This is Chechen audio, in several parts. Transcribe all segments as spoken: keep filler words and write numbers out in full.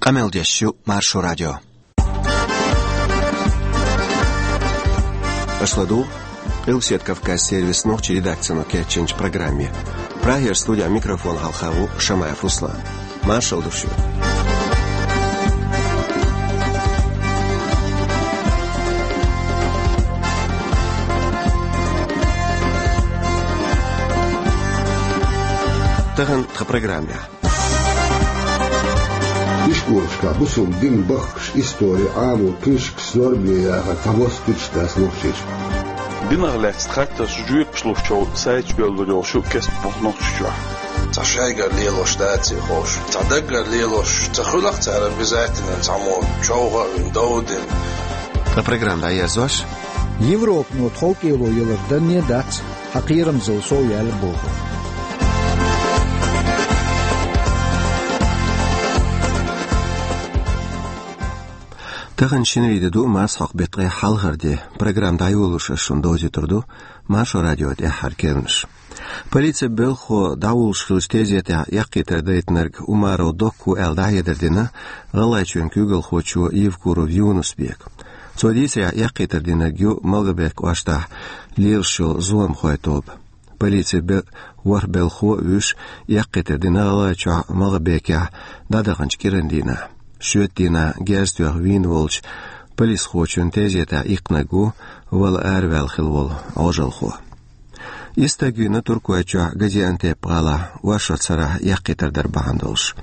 Къамел деш ю Маршо радио. Аша ладугӀу Къилбаседа Кавказан сервисан нохчийн редакцино кечйинчу программе. Прагера студехь микрофон хьалха ву Шамаев Руслан. Маршалла ду шуьга. Тахана тхан программехь. Ишколашкахь бусалба динан бахкаш, истори, Ӏамо книжкаш зорбане яхар цхьабосса туьтуш дац Нохчийчохь. Динах лаьцна хаттарш жоьпаш луш йолу сайт чу бевлла йолуш ю кест боху Нохчийчохь. Цхьа шайгара лелош даций хууш, цхьа даггара лелош ца хуьлу-кх цара обязательно цхьаммо човха а вина, дов а дина. Тхан программа дӀаерзош. Европано тхов кӀело ялар данне дац, хьан кхерамзалла сов яьлла боху. Тахана шинарин де ду, марсхьокху беттан хьалхара де. Программа дӀайолош ас шуна довзуьйтур ду Маршо радион тӀаьххьара керланаш. Полицин белхахо дӀавуллуш хиллачу тезетехь эккхийтар дайтинарг Умаров Докка ву аьлла дӀахьедар дина ГӀалгӀайчоьнан куьйгалхочо Евкуров Юнус-Бека. Цо дийцарехь, эккхийтар динарг ю МагӀалбик кӀоштахь лелаш йолу зуламхойн тоба. Полицин бе-, ворхӀ белхахо а вуьйш, эккхийтар дина ГӀалгӀайчохь МагӀалбикехь дӀадаханчу кӀиранан дийнахь. Шоьтан дийнахь герз тоьхна вийна волчу полисхочун тезетехь иккхинарг ву вала араваьлла хилла волу Ӏожалхо. Исс стаг вийна Туркойчохь Газиантеп-гӀалахь оршот сарахь эккхийтар дар бахьана долуш.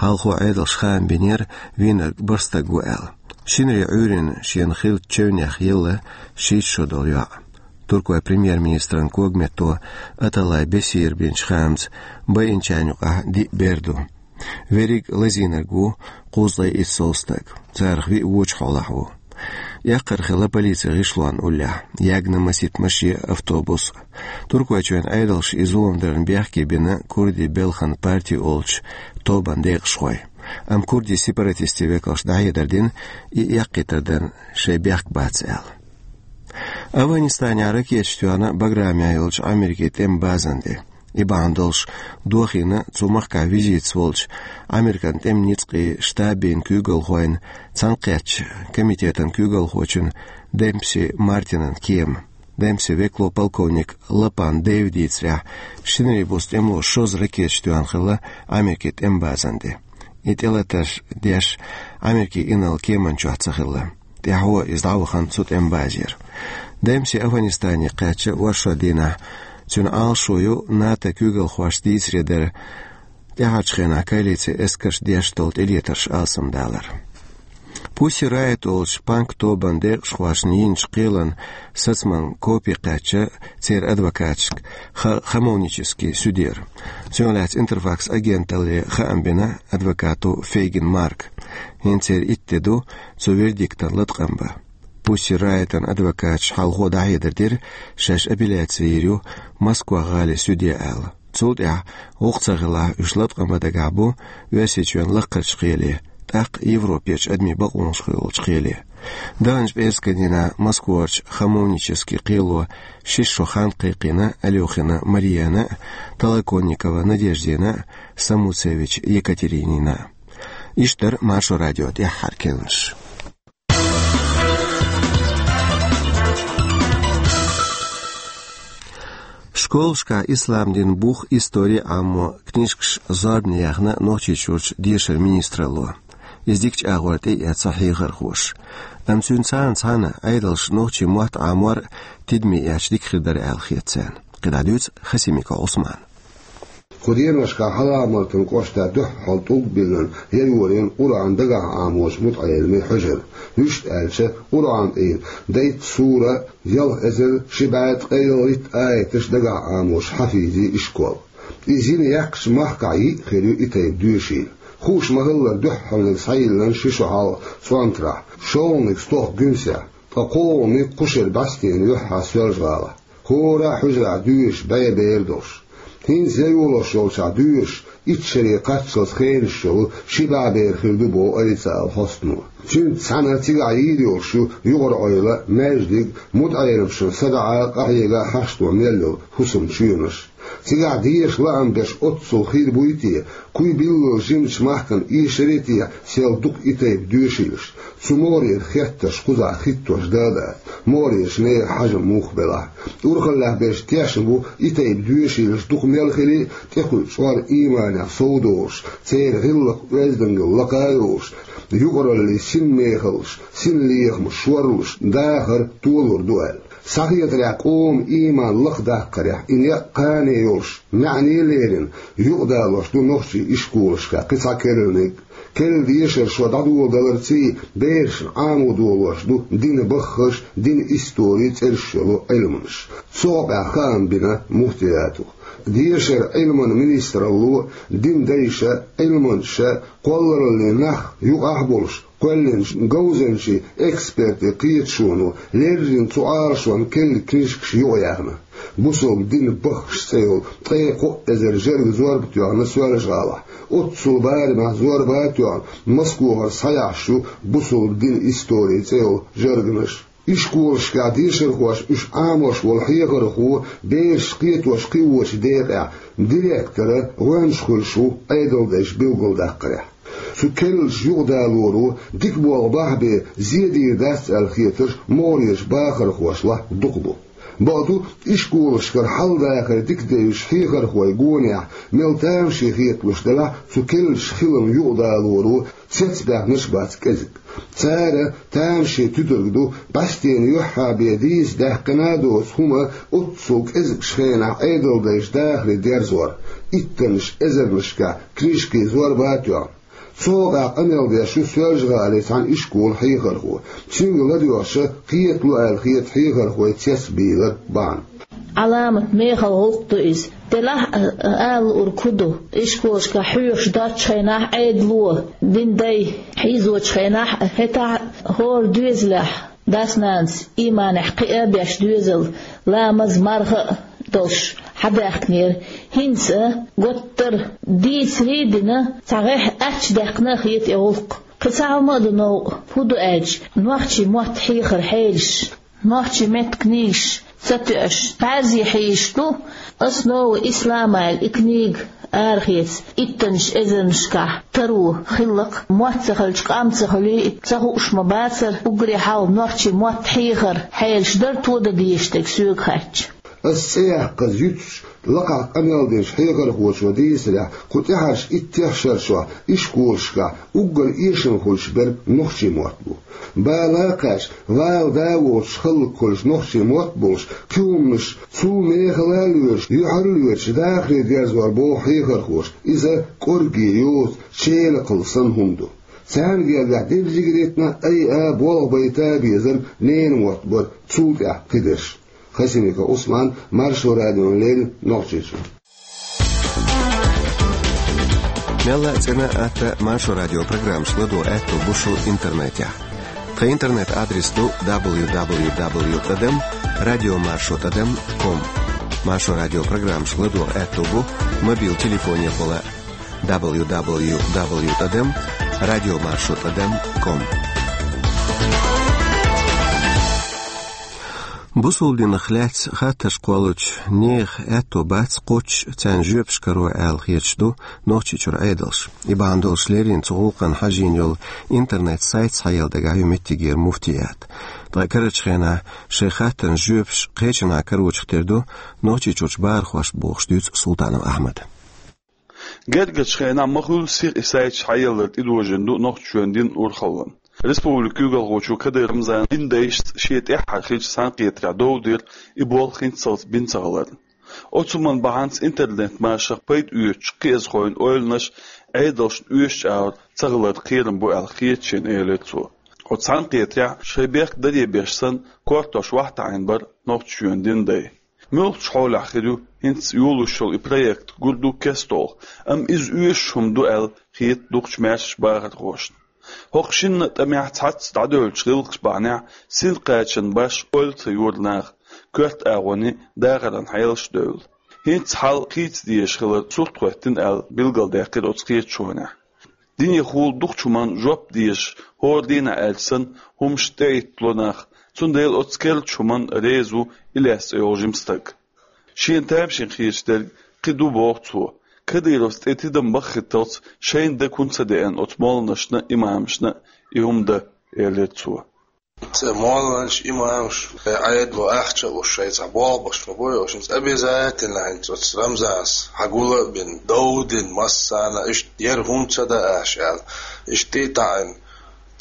Хьалхо Ӏедалша хаам бинера, вийнарг бархӀ стаг ву аьлла. Шинарин Ӏуьйранна шена хиллачу чевнех елла шийтта шо долу йоӀ. Туркойн премьер-министран когаметто Аталай Бесира бинчу хаамца, байинчарна юкъахь диъ бер ду. Верриг лазийнарг ву кхузткъе итт сов стаг. Царах виъ вочу хьолахь ву. Эккхар хилла полицин гӀишлонна уллехь, ягна масийтта машен а, автобус а. Туркойчоьнан Ӏедалша и зулам дарна бехке бина курдийн белхан парти олучу тобанан декъашхой. Амма курдийн сепаратистийн векалша дӀахьедар дина, и эккхийтар дарна шайн бехк бац аьлла. Афганистанехь ракеташ тоьхна Баграмехь йолчу Америкин тӀеман базана тӀе. И бахьана долуш дохийна цу махкахь визитаца волчу Американ тӀеман ницкъийн штабийн куьйгалхойн цхьаьнакхеттачу комитетан куьйгалхочун Демпси Мартинан кема. Демпси векало полковник Лапан Дэйва дийцарехь, шинарин буса тӀемало шозза ракеташ тоьхна хилла Америкин тӀеман базана тӀе. И тӀелатарш деш Америкин инарла кеманна чохь ца хилла. ТӀаьхьо иза дӀавахана цу тӀеман базера. Демпси Афганистане кхаьчча оршот дийнахь, цуьнан Ӏалашо ю НАТО куьйгалхошца дийцаре дара тӀаьхьарчу хенахь коалицин эскарша деш долу тӀелетарш алсамдалар. Пусси Райт олучу панк тобанан декъашхошна йинчу кхелан сацаман копи кхаьчча церан адвокаташка ха-, хамовнически судьера. Цунах лаьцна Интерфакс агенталле хаам бина адвокато Фейгин Марка. ХӀинца церан итт де ду цу вердиктан латкъам бан. Пусси Райтан адвокаташа хьалхо дӀахьедар дира, шаьш апелляци йийр ю Москва-гӀалин суьде аьлла. Цул тӀаьхьа, гӀуллакх ца хилахь, уьш латкъам бан дагахь бу Оьрсийчоьнан лакхарчу кхеле, тӀаккха Европерчу адамийн бакъонаш хуьлучу кхеле. Даханчу пӀераскан дийнахь Москварчу хамовнически кхело ши шо хан кхайкхийна Алёхина Марияна а, Толоконникова Надеждина а, Самуцевич Екатеринина а. Иштта дара Маршо радион тӀаьххьара керланаш. Школашкахь ислам динан бух, истори а Ӏамо книжкаш зорбане яьхна Нохчийчуьрчу дешаран министралло. Иза дикачу агӀор тӀеэцна хьехархоша. Амма цуьнца цхьаьна Ӏедалша нохчийн мотт Ӏамор а тидаме эцча дика хир дара аьлла хета царна. КхидӀа дуьйцу Хасимиков Ӏусмана. Кху деношкахь Хьаламатан кӀоштахь дуьххьал тӀулг биллина, яйорийна Къуръан дагахь Ӏамочу мутаӀеламийн хьуьжар. Вуьшта аьлча, Къуръан тӀера дейтта сура, ялх эзар ши бӀе ткъе ялхитта аяташ дагахь Ӏамочу хьафизийн ишкол. Иза йина яьккхачу махкахь йиъ хир ю и тайпа доьшийла. Хууш ма-хиллара, дуьххьалниг схьайиллина ши шо хьалха ЦӀонтарахь, шолгӀаниг стохка Гуьнсехь, ткъа кхоалгӀаниг кху шеран бӀаьстенан юьххьехь Соьлжа-ГӀалахь. ХӀора а хьуьжарахь доьшуш бӀе бер долуш. ХӀинца яйолош йолчохь доьшуш, итт шаре кхаччалц хенаш йолу ши бӀе бер хир ду боху официалан хьостано. Цуьнца цхьаьна цигахь йийр йолуш ю юкъара-Ӏойла, маьждиг, мутаӀеламашна садаӀа а, къахьега а хьашто мел йолу хӀусамчоьнаш. Цигахь дезаш лаам беш оццул хир буй те, куй билггал жимачу махкана эшаре те сел дукха и тайпа доьшийлаш? Цу могӀарера хеттарш кхузахь хӀиттош дан а дац, могӀарерчу нехан хьажам муха белахь а. Урхаллехь берш тешна бу и тайпа доьшийлаш дукха мел хили а, тӀекхуьучу чкъор ийманех совдолуш, церан гӀиллакх оьздангалла лакха а йолуш, юкъараллин синмехаллаш, синлехамаш шорлуш, дахар толур ду аьлла. Схьахетарехь, къоман ийман лакхадаккхарехь и некъ кхане йолуш, маьӀне а лерина, юкъадалош ду нохчийн ишколашкахь кхин цхьа керланиг. Керла дешар шо дӀадоладаларций, берашна Ӏамо долош ду динан баххаш, динан истори цӀераш йолу Ӏилманаш. Цу хьокъехь хаам бина муфтиятах. Дешаран, Ӏилманан министралло, динан дайша, Ӏилманчаша, кхоллараллин нах юкъахь а болуш, кхоьллинчу говзанчийн, экспертийн кхеташоно леррина цу Ӏалашонна керла книжкаш юкъаяьхна. «Бусалба динан баххаш» цӀе йолу ткъе кхо эзар жерган зорба тоьхна Соьлжа-ГӀалахь. Оццул барамехь зорба а тоьхна, Москвахара схьаяьхьаш ю «Бусалба динан истори» цӀе йолу жергаш. Ишколашкахь дешархоша уьш Ӏамош волу хьехархо бераш кхетош кхиочу декъехь директор а, гӀоьнча а хуьлуш ву Ӏедалдайша билгалдаккхарехь. Цу керлачу юкъадалоро дика болх бахьа бен зен дийр дац аьлла хетарш могӀарерчу бахархошлахь дукха бу. Бакъду, ишколашкара хьал-дахар дика девзаш хьехархойн гонехь мел тамаше хеталуш делахь а, цу керлачу хилам юкъадалоро цецбаьхнарш бац кӀезиг. Цара тамашен туьтург ду, бӀаьстенан юьххьехь бен дийца даьккхина а доцу хӀума оццул кӀезигчу хенахь Ӏедалдайша дахаре дерзор, иттаннаш эзарнашкахь книжкийн зорба а тоьхна. Цу хьокъехь къамел деш ю Соьлжа-ГӀалин цхьана ишколан хьехархо. Цуьнга ладоьгӀча, кхетало аьлла хета хьехархойн цецбийлар бахьана. Ӏаламат мехала гӀуллакх ду иза. Делахь а, ала луург хӀун ду? Ишколашкахь хьоьхуш доцучу хенахь Ӏедало, динан дай хьийзочу хенахь а, хӀетахь а хӀора доьзалехь дас-нанас ийманехь кхиа а беш доьзал, ламаз, марха а долуш хьадаьхкинера. ХӀинца а готтара дийцаре а дина, цхьа гӀеххьа аттачудаьккхина а хета и гӀуллакх. Кхин цхьа хӀума а ду новкъа, хӀун ду аьлча, нохчийн мотт хьехаран хьелаш, нохчийн меттан книгаш ца тоьаш, бӀаьрзе хьийзаш ду «Основы ислама» аьлла и книга арахеца, иттаннаш эзарнашкахь таро хиллакх, мотт ца хилча, къам ца хуьлий, ца хууш ма бацара уггаре хьалха нохчийн мотт хьехаран хьелаш дара тодан дезаш дерг соьга хаьттича. Ас цӀе яккхаза юьтуш, лакхахь къамел динчу хьехархочо дийцарехь, кху тӀаьхьарчу иттех шарчохь ишколашкахь уггар эшам хуьлуш берг нохчийн мотт бу. Бала а кхаьчна, вала да а воцуш хӀаллакьхуьлуш нохчийн мотт болуш, кхин хӀуманаш цул мехала а лоьраш, юьхьара а лоьраш дахаре дерзор боху хьехархоша, иза кӀорге йоцу челакхалла санна хӀума ду. Царна гергахь дерриг а ритна, айа а, болх байта а безарг ненан мотт бара, цул тӀаьхьа кхидерш. Хасимиков Ӏусман, Маршо радиона леррина, Нохчийчуьра. Мелла а цӀена а, атта а Маршо радион программаш ладогӀа аьтто бу шун интернетехь. Тхан интернет-адрес ду дабл ю дабл ю дабл ю тӀадам радио маршо тӀадам ком. Маршо радион программаш ладогӀа аьтто бу мобил телефонехула дабл ю дабл ю дабл ю тӀадам радио маршо тӀадам ком. Бусалба динах лаьцна хаттарш кхоллучу нехан аьтто бац кхоччуш царна жоьпаш каро аьлла хеташ ду Нохчийчуьра Ӏедалш. И бахьана долуш леррина цу гӀуллакхна хьажийна йолу интернет-сайт схьаелла дагахь ю меттигера муфтият. Ткъа карарчу хенахь шайн хаттарна жоьпаш кхечанхьа карочух тера ду Нохчийчуьрчу бахархошна бохуш дуьйцу Султанов Ахьмада. Гергарчу хенахь ма-хуьллу сиха и сайт схьаелларг тӀедожийна ду Нохчийчоьнан динан урхаллина. Республикан куьйгалхочо Кадыров Рамзана динан дайшца шен тӀаьххьара хиллачу цхьаьнакхетарехь дов дира и болх хӀинццалц бина ца хиларна. Оцу хӀуманна бахьанца интернет-машех пайда оьцучу кхиазхойн ойланаш Ӏедалшна оьшучу агӀор ца хилар кхерам бу аьлла хета шена, элира цо. Оцу цхьаьнакхетарехь шайн бехк даре беш санна, кортош вахьа таӀийна бара Нохчийчоьнан динан дай. Муьлхачу хьолехь хир ю хӀинца йолуш йолу и проект? Гур ду кестта, амма иза оьшуш хӀума ду аьлла хета дукхачу маьршачу бахархошна. ХӀокху шинна а тӀамехь цхьацца дӀадевллачу гӀиллакхаш бахьанехь синна кхачанан башха ойла ца йора наха, коьрта агӀонийн дахаран хьелаш а девлла. ХӀинца хьал хийца дезаш хилар сурт хӀоьттина аьлла билгалдаьккхира оцу кхеташонехь. Динехула дукхачу хӀуманна жоп дезаш, хӀора дийнахь аьлча санна, хӀуманаш тӀехӀиттало нах, цундела оцу керлачу хӀуманна реза ву Илес цӀе йолу жима стаг. Шена тамашийна хеташ дерг кхин ду боху цо. Кадыровс тӀе тидам баххийталц шайна дага хӀунда ца деана оцу молланашна а, имамашна а и хӀума дан, элира цо. Цу молланаш, имамаш, Ӏедало ахча а луш, шайн цхьа болх беш ма бу, ошанца обязательно хӀинца оцу Рамзанас хьагула а бина, дов а дина, массарна иштта яра хӀума ца дан аша аьлла. Иштта а таӀийна,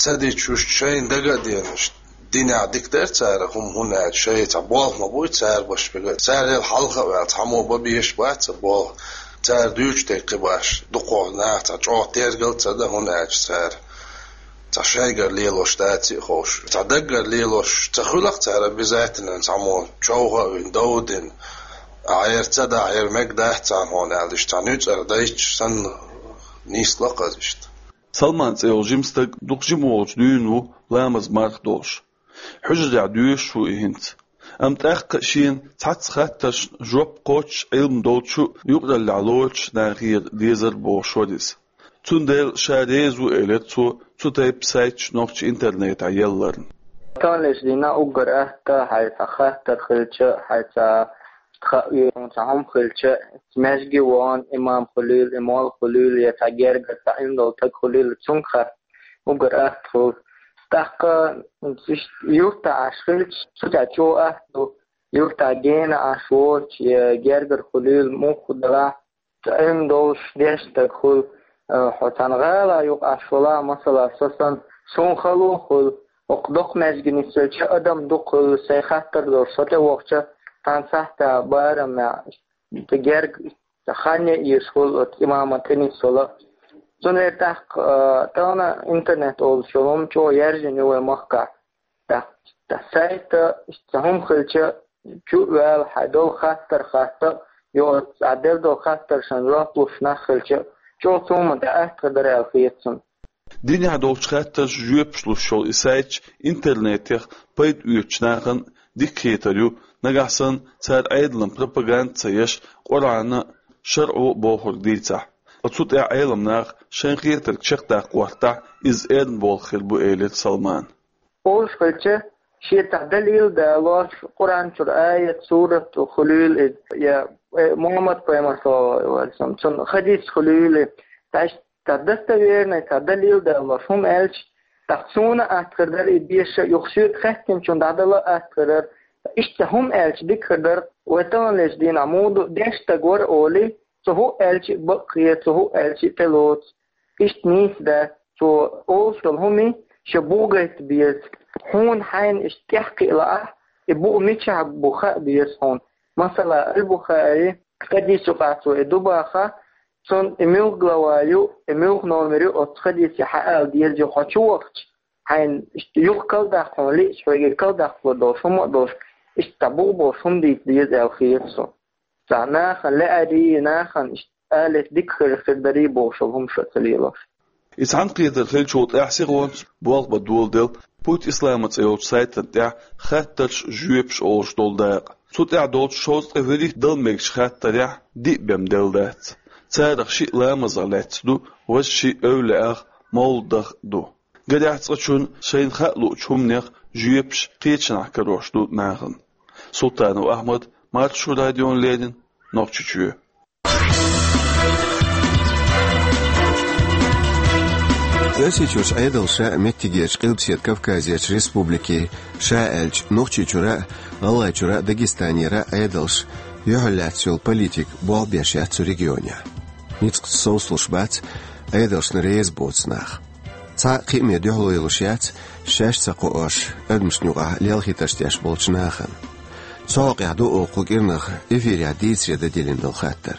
ца дича уьш шайна дага а деана, иштта динехь дика дара цара хӀума, хӀунда аьлча шайн цхьа болх ма буй цара беш берг. Царел хьалха а ваьлла, цхьаммо бан безаш бац цхьа болх. Цара дуьйцуш дерг кхин баш, дукхох наха цхьа чӀогӀа тергал а ца дан, хӀунда аьлча цара цхьа шайгара лелош дац а ховш, цхьа даггара лелош ца хуьлу-кх цара, обязательно цхьаммо човха а вина, дов а дина, ахьа яра ца дахь, яра мегаргдац царна хьуна аьлла, иштта цхьа нуьцкъара дайча санна, нийса ло-кх иза иштта. Салман цӀе йолу жима стаг дукха жима волчу дуьйна ву ламаз, марха долуш. Хьуьжарехь доьшуш ву и хӀинца. Амма тӀаккха а шена цхьацца хаттаршна жоп кхоччуш, Ӏилма долчу а, юкъараллехь лоруш а нахера дезара бохуш вара иза. Цундела ша реза ву, элира цо, цу тайпа сайташ нохчийн интернетехь ялларна. Таханлерчу дийнахь уггар атта хьайн цхьа хаттар хилча, хьайн цхьа хаа везаш цхьа хӀума хилча, маьждиге вахана имам хуьлийла, и молла хуьлийла, я цхьа гергара цхьа Ӏилма долу стаг хуьлийла, цуьнга хатта уггар атта хуьлу. ТӀаккха иштта юьртахь Ӏаш хилча, цу тӀехь чӀогӀа атта ду, юьртахь гена Ӏаш воцуш, я гергара хуьлийла, муха делахь а, Ӏилма долуш дешна стаг хуьлу, э, хьо цхьана гӀала юкъа Ӏаш валахь, масала, со санна, суна хало хуьлу, хӀокху доккха маьждиге нисвелча адам дукха хуьлу, сайн хаттар долуш со тӀевахча, цхьана сахьтехь барамехь, герга хан а езаш хуьлу оцу имаман тӀе нисвала. Цундела тӀаккха, э, тахана интернет олуш йолу хӀума чӀогӀа яьржина ю вайн махкахь. ТӀаккха сайта, иштта хӀума хилча, чу а ваьлла, хьайн долу хаттар хатта а, я оцу Ӏа делла долу хаттаршна жоп луш нах хилча, чӀогӀа цу хӀуманна тӀе атта хир дара аьлла хета суна. Динехь долчу хаттаршна жоьпаш луш йолу и сайташ интернетех пайда оьцучу нахана дика хетар ю, нагахь санна цара Ӏедалан пропаганда ца еш, Къуръано а, шарӀо а бохург дийцахь. Ткъа цу тӀехь Ӏеламнаха шайна хетарг чекхдаккха гӀортахь, иза эрна болх хир бу, элира Салмана. Олуш хилча, шен цхьа далил а далош, Къуръан чуьра аят, сурат хуьлийла иза, я, э, Мухьаммад-пайхамар, саллаллаху Ӏалайхи ва саллам, цуьнан хадис хуьлийла иза, таш цхьа достоверный, цхьа далил а далош хӀума аьлча, тӀаккха суна а атта хир дара и деша, юха соьга хаьттинчунна дӀадала а атта хир дара. Иштта хӀума аьлча дика хир дара, вай таханлерчу дийнахь муха ду, дешна стаг вара олий, цо хӀуъа аьлча а бакъ хета, цо хӀуъа аьлча а тӀелоцу. Иштта нийса дац, цо олуш долу хӀума шен бух гайта беза. Хьуна хьайна иштта тӀехь кхиа лаахь, и бух мичахь бу хаа беза хьуна. Масала, Аль-Бухари, хадис юкъахь цо и ду баха, цунна и муьлха глава ю, и муьлха номер ю, оцу хадисе хьаала деза ю, хьо чу вахча, хьайна иштта юха калдаккха хьуна лиъча, хьоьга и калдаккхалур долуш хӀума а долуш, иштта цхьа бух болуш хӀума дийца деза аьлла хета суна. Цхьа нахана лаьарий, нахана иштта алица дика хир, хир дарий бохуш йолу хӀума ша ца лелош. И цхьаьнакхетар хилчул тӀаьхьа сихонца болх бан доладелла «Путь ислама» цӀе йолчу сайтана тӀехь «Хаттарш, жоьпаш» олуш долу дакъа. Цу тӀехь долчу шовзткъе вуьрхӀитта дала мегачу хаттарехь диъ бен делла дац. Царах шиъ ламазах лаьцна ду, важа шиъ эвлаяэх, мовладах ду. Гарехь, цкъачунна шайна хаа луучу хӀуманех жоьпаш кхечанхьа карош ду нахана. Султанов Ахьмад, Маршо радиона леррина, Нохчийчоь. Оьрсийчуьрчу Ӏедалша а, меттигерчу Къилбаседа Кавказерчу республикийн, ша аьлча, Нохчийчуьра а, ГӀалгӀайчуьра а, Дагестанера а Ӏедалша юьхьарлаьцна йолу политика болх беш яц цу регионехь. Ницкъаца совцалуш бац Ӏедалшна реза боцу нах. Цхьа а кхиаме дуьхьало йолуш яц шаьш ца кхоош, адамашна юкъахь лелхийтарш деш болчу нахана. Цу хьокъехь ду оха кху кӀирнах эфирехь дийцаре дан диллина долу хаттар.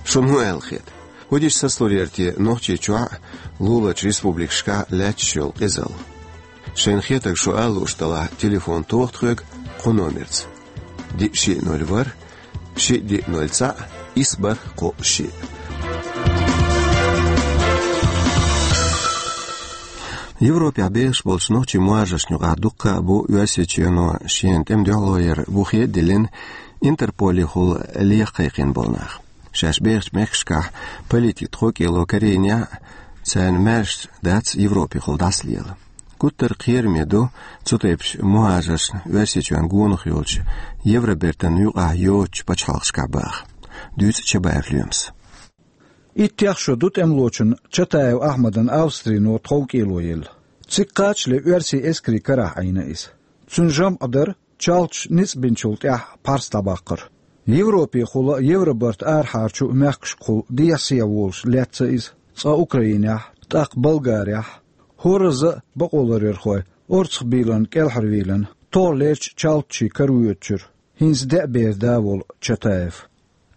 Шуна хӀун аьлла хета? ХӀун дича сацалур яра те Нохчийчохь а, луларчу республикашкахь а лаьтташ йолу къизалла? Шайна хетарг шу ала лууш далахь, телефон тоха тхоьга кху номерца: диъ шиъ ноль ворхӀ, шиъ диъ ноль цхьаъ, исс бархӀ кхоъ шиъ. Европехь бехаш болчу нохчийн мухӀажаршна юкъахь дуккха а бу Оьрсийчоьно шена тӀеман дуьхьало яр бухе а диллина, Интерполехула леха кхайкхийна болу нах. Шаьш бехачу мехкашкахь политика тхо кӀело карийнехь а, царна маьрша дац Европехула дӀасалела. Гуттар а кхераме ду цу тайпачу мухӀажаршна Оьрсийчоьнна гонах йолчу Евробертан юкъахь йоцучу пачхьалкхашкахь баха. дуьйцу Чабаев Лоьмас. Иттех шо ду тӀемалочун Чатаев Ахьмадан Австрино тховкӀело елла. Цига кхачале оьрсийн эскарийн карахь Ӏийна иза. Цуьнан жамӀ дара чалташ ницкъ бинчул тӀаьхьа пхьарс дӀабаккхар. Европехула а, Евробарта арахьарчу а мехкашкахула дехьа-сехьа волуш лаьцна иза, цкъа Украинехь, тӀаккха Болгарехь. ХӀоразза а бакъоларъярхой орцахбийлина кӀелхьарвийлина, тохлерчу чалташийн каравоьдучуьра хӀинца деа бер да волу Чатаев.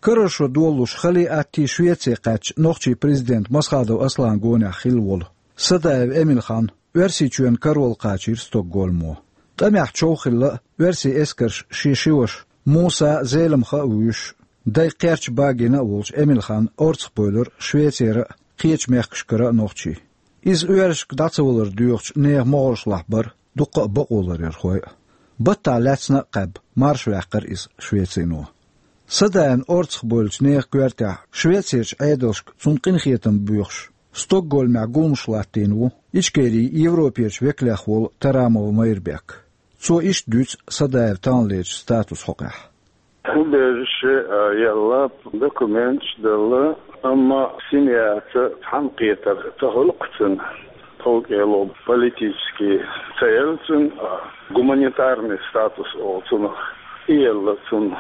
Карара шо долуш хали-атти Швеце кхаьчча нохчийн президент Масхадов Аслан гонехь хилла волу Садаев Эмилхан Оьрсийчоьнна каравала кхачийра Стокгольмо. ТӀамехь чов хилла а, оьрсийн эскарша шен ши ваша Муса а, Зелимха а вуьйш, дай кхерча багийна а волчу Эмилханна орцахбевлира Швецера а, кхечу мехкашкара а нохчий. Иза оьрсашка дӀа ца валар доьхучу нехан могӀаршлахь бара дуккха а бакъоларъярхой а. Баттахь лаьцна а кхаьбна, марша ваьккхира иза Швецино. Садаевна орцахбевллачу нехан коьртехь Швецерчу Ӏедалшка цунна къинхетам боьхуш, Стокгольмехь гуламаш латтийна ву Ичкерин Европерчу векалех волу Тарамов Майрбек. Цо иштта дуьйцу Садаев таханлерчу статусан хьокъехь. Убежище а елла, документаш а делла, амма семьяца цхьаьнакхетар ца хуьлу-кх цуьнан. ТховкӀело политически ца елла цуьнан, а гуманитарный статус олу цунах, и елла цунна.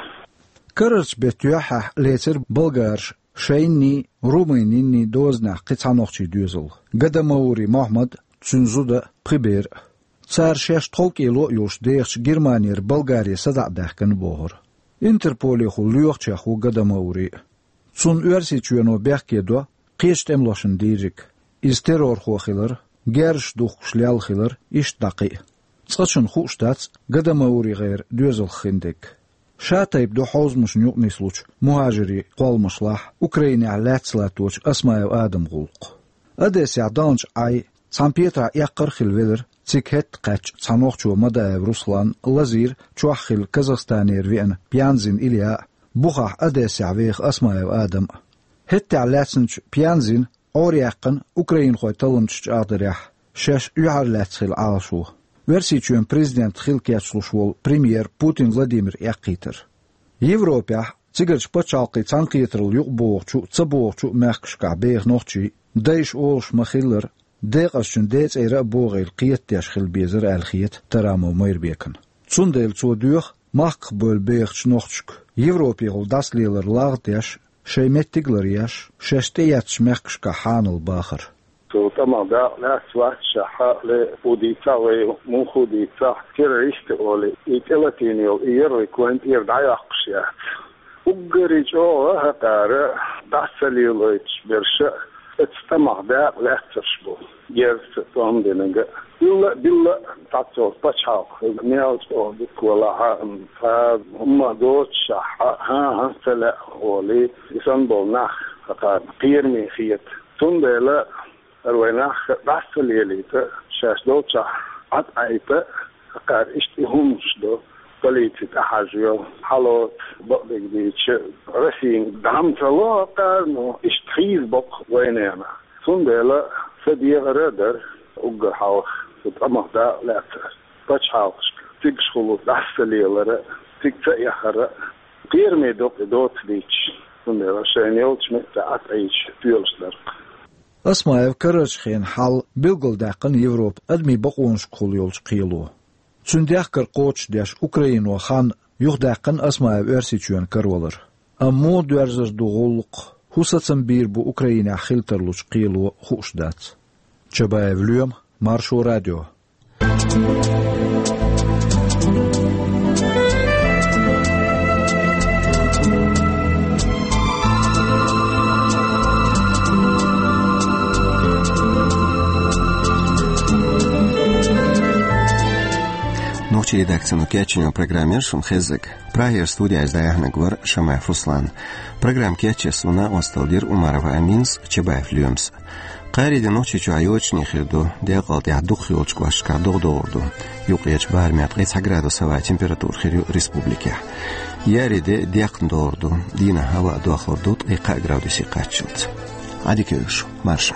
Карарчу беттан юьххьехь лецира болгараша шайнний, румынинний дозанехь кхин цхьа нохчийн доьзал: Гадамаури Мохьмад, цуьнан зуда, пхи бер. Цара шаьш тховкӀело а йолуш дехачу Германера Болгаре садаӀа даьхкина бохура. Интерполехула лоьхучех ву Гадамаури. Цунна Оьрсийчоьно бехке до кхечу тӀемалошна дийриг. Иза террорхо хилар, герзаш духкуш лелла хилар, иштта дӀа кхин а. Цкъачунна хууш дац Гадамаури гӀеран доьзалх хиндерг. Ша тайпа ду хьовзамашна юкъа нислучу мухӀажирийн кхолламашлахь Украинехь лаьцна латточу Осмаев Адаман гӀуллакх. Одессехь даханчу Ӏай цхьана петарахь эккхар а хилла велира цига хӀетта кхаьчча цхьа нохчо Мадаев Руслан, лазийра чохь хилла Казахстанера веана Пьянзин Илья а, бухахь Одессехь веха Осмаев Адам а. ХӀеттехь лаьцначу Пьянзина Ӏораяьккхина украинхойн талламчаш чӀагӀдарехь, шаьш юьхьарлаьцна хилла Ӏалашо, Оьрсийчоьнан президент хила кечлуш волу премьер Путин Владимир эккхийтар. Европехь, цигарчу пачхьалкхийн цхьаьнакхетаралла юкъабогӀучу а, ца богӀучу а мехкашкахь беха нохчий, дайша олуш ма-хиллара, декъазчун децӀера а богӀийла кхетадеш хила безара аьлла хета Тарамов Майрбекана. Цундела цо доьху махках бевлла бехачу нохчашка Европехула дӀасалелар лагӀдеш, шайн меттиг а ларъеш, шаьш тӀеэцначу мехкашкахь хьанал бахар. Цо тӀамах дакъа лаьцна вац шаьхьа, ле, хӀун дийцахь вай, муха хӀун дийцахь, террористы олий, и тӀелатийна йолу и ярлык вайна тӀера дӀайоккхуш яц. Уггаре чӀогӀа хӀокхара дӀа ца лелойтуш берш а оцу тӀамах дакъа лаьцнарш бу, герзаца тӀом динарг а. Билла а, билла а, цхьацца пачхьалкх мел чӀогӀа дика валахь а, цхьа хӀумма доцуш шаьхьа, хӀан-хӀа, ца лаьа олий, и санна болу нах хӀокхарна кхераме хета. Цундела хӀара вай нах дӀа ца лелийта, шаьш долчохь Ӏад Ӏайта, хӀокхара иштта и хӀуманаш ду, полици тӀехьажайо, хьало, бакъдерг дийцича, Россина дӀа ма ца ло хӀокхара, но иштта хийза боккха вайнена. Цундела сан дехар а дара уггар хьалха, цу тӀамах дакъа лаьцнарш пачхьалкхашка, цигахула дӀа ца лелар а, цига ца эхар а. Кхераме ду-кх и доцу дийцича, цундела шайна йолчу метте Ӏад Ӏийча тоьлуш дара-кх. Осмаев карарчу хенан хьал билгалдаьккхина Европа адамийн бакъонашкахула йолчу кхело. Цуьнан дехкар кхочушдеш Украино хан юхадаьккхина Осмаев Оьрсийчоьнна каравалар. Амма муха доьрзур ду гӀуллакх, хӀун сацам бийр бу Украинехь хила тарлучу кхело, хууш дац. Чабаев Лоьма, Маршо радио. Нохчийн редакцино кечйина программа яра шуна хезнарг. Прагера студехь иза дӀаяьхьнарг вара Шамаев Руслан. Программа кечъеш суна накъосталла дира Умарова Аминас, Чабаев Лоьмас. Кхаарин де Нохчийчохь йочане хир ду, декъал тӀехь дукхах йолчу кӀошташкахь догӀа догӀур ду. Юккъерчу барамехь ткъе цхьа градус хӀаваан температура хир ю республикехь. Еарин де декхна догӀур ду, дийнахь хӀаваъ дохлур ду ткъе кхаа градусе кхаччалц. Ӏадика йойла шу, марша.